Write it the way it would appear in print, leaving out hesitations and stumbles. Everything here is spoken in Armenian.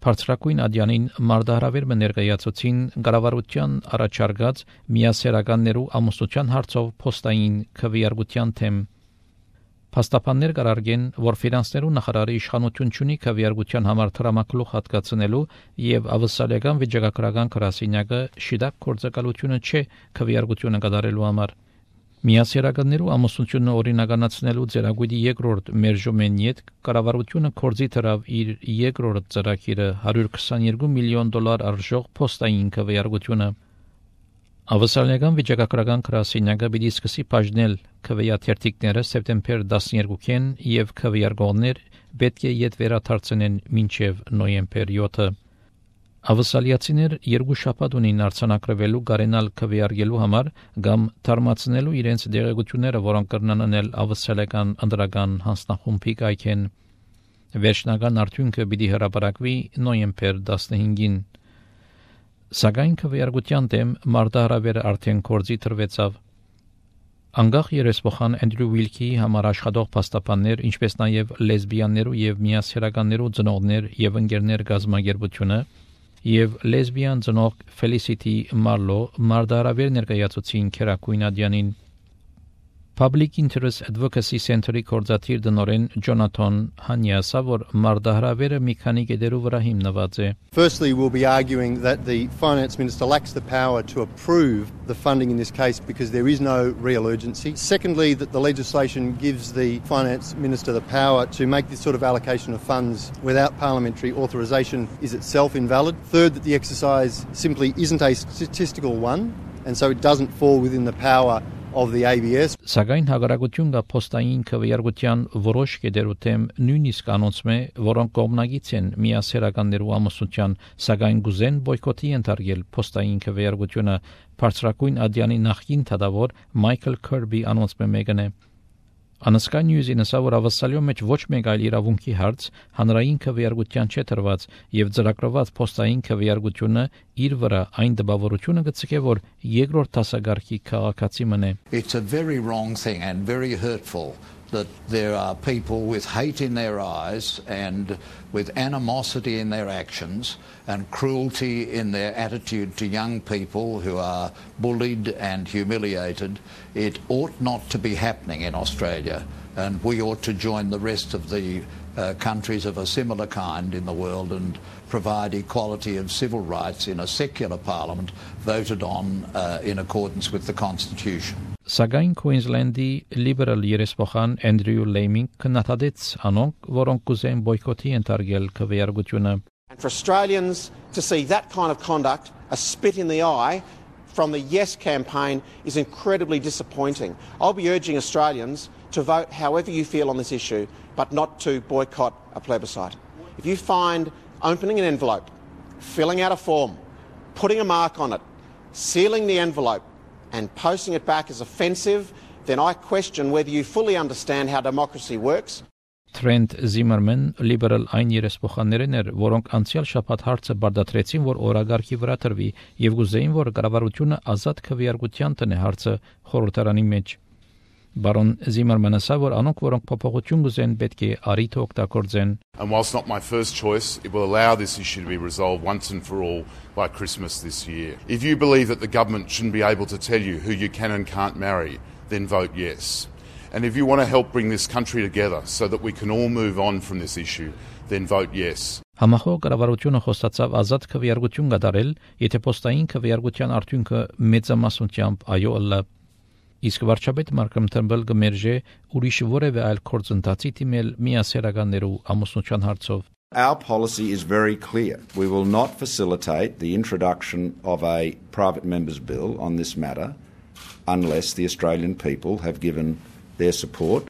Բարձրակույն ադյանին մարդահրավեր ներկայացուցին կառավարության առաջարկած միասեռականներու ամուսնության հարցով փոստային քվեարկության թեմ Փաստաբաններ կարգեն, որ ֆինանսներու նախարարի իշխանություն ունի քվեարկության համար տրամակլուխ հատկացնելու եւ ավսալական վիճակագրական գրասենյակը շիդակ կորցակալությունը չէ քվեարկությունը կատարելու համար Միասեռականներու ամուսնությունը օրինականացնելու ծրագիրի երկրորդ մերժումեն յետ կառավարությունը կորձի դրավ իր երկրորդ ծրագիրը $122 միլիոն արժող փոստային քվեարկությունը Ավսալական վիճակագրական գրասենյակը պիտի սկսի բաժնել քվեաթերթիկները սեպտեմբեր 12-ին եւ քվեարկողներ պետք է յետ վերադարձնեն մինչեւ նոյեմբեր 7-ը Ավսալիացիներ երկու շաբաթ ունին արձանագրվելու գարենալ քվեարկելու համար կամ թարմացնելու իրենց դեղեցությունները, որոնք կրնան անել ավսալական ընդրական հանձնախումբի կայքեն վերջնական արդյունքը պիտի հրապարակվի նոյեմբեր 15-ին Սակայն քվեարկության դեմ մարդահրավերը արդեն կորձի տրվեցավ Անգախ երեսփոխան Անդրյու Ուիլքի համար աշխատող փաստաբաններ, ինչպես նաև լեսբիյաններու եւ միասեռականներու ծնողներ եւ ընկերներ գազագերբությունը եւ լեսբիան ծնող Felicity Marlowe մարդահրավեր ներկայացուցին Քերակույն ադյանին Public Interest Advocacy Center-ի կորզաթիր դնորեն Ջոնաթան Հանյասը որ մարդահրավերը մի քանի կետերով վրա հիմնված է Firstly, we'll be arguing that the Finance Minister lacks the power to approve the funding in this case because there is no real urgency. Secondly, that the legislation gives the Finance Minister the power to make this sort of allocation of funds without parliamentary authorisation is itself invalid. Third, that the exercise simply isn't a statistical one and so it doesn't fall within the power of the ABS. Սակայն հաղարակություն կա փոստային քվեարկության որոշ կետերու թեմ նույնիսկ անոնցում է, որոնք կողմնակից են միասեռականներու ամուսնության, սակայն գուզեն բոյկոտի ենթարկել փոստային քվեարկությունը բարձրակույն ադյանի նախկին թադավոր Մայքլ Քերբի անոնցում մեկն է Անսկա նյուզին ասա որ ավսալյո մեջ ոչ մեկ այլ իրավունքի հարց հանրային քվեարկության չէ տրված եւ ծրագրված փոստային քվեարկությունը իր վրա այն դպավորությունը գցկե որ երկրորդ դասագարքի քաղաքացի մնե It's a very wrong thing and very hurtful that there are people with hate in their eyes and with animosity in their actions and cruelty in their attitude to young people who are bullied and humiliated. It ought not to be happening in Australia and we ought to join the rest of the countries of a similar kind in the world and provide equality of civil rights in a secular parliament voted on in accordance with the Constitution. Սակայն Queensland-ի liberal երեսփոխան Andrew Laming քննադատեց անոնք, որոնք կուզեն բոյկոտի ենթարկել քվեարկությունը. And for Australians to see that kind of conduct, a spit in the eye from the Yes campaign is incredibly disappointing. I'll be urging Australians to vote however you feel on this issue, but not to boycott a plebiscite. If you find opening an envelope, filling out a form, putting a mark on it, sealing the envelope, and posting it back as offensive, then I question whether you fully understand how democracy works. Trent Zimmerman liberal այն երեսփոխաններն էր, որոնք անցյալ շաբաթ հարցը բարդացրեցին, որ օրագարքի վրա տրվի եւ գուզեին, որ կառավարությունը ազատ քվեարկության տնե հարցը խորհրդարանի մեջ։ Baron Zimmerman ասա, որ անոնք, որոնք փոփոխություն գուզեն, պետք է արիթ օգտագործեն։ And whilst not my first choice, it will allow this issue to be resolved once and for all by Christmas this year. If you believe that the government shouldn't be able to tell you who you can and can't marry, then vote yes. And if you want to help bring this country together so that we can all move on from this issue, then vote yes. Համախոհ կառավարությունը խոստացավ ազատ քվեարկություն կատարել, եթե փոստային քվեարկության արդյունքը մեծամասնությամբ այո ըլլա։ Իսկ վարչապետ Մարկոմ Թըմբլ կմերժե ուրիշ որևէ այլ գործընթացի դիմել միասեռականներու ամուսնության հարցով։ Our policy is very clear. We will not facilitate the introduction of a private member's bill on this matter unless the Australian people have given their support.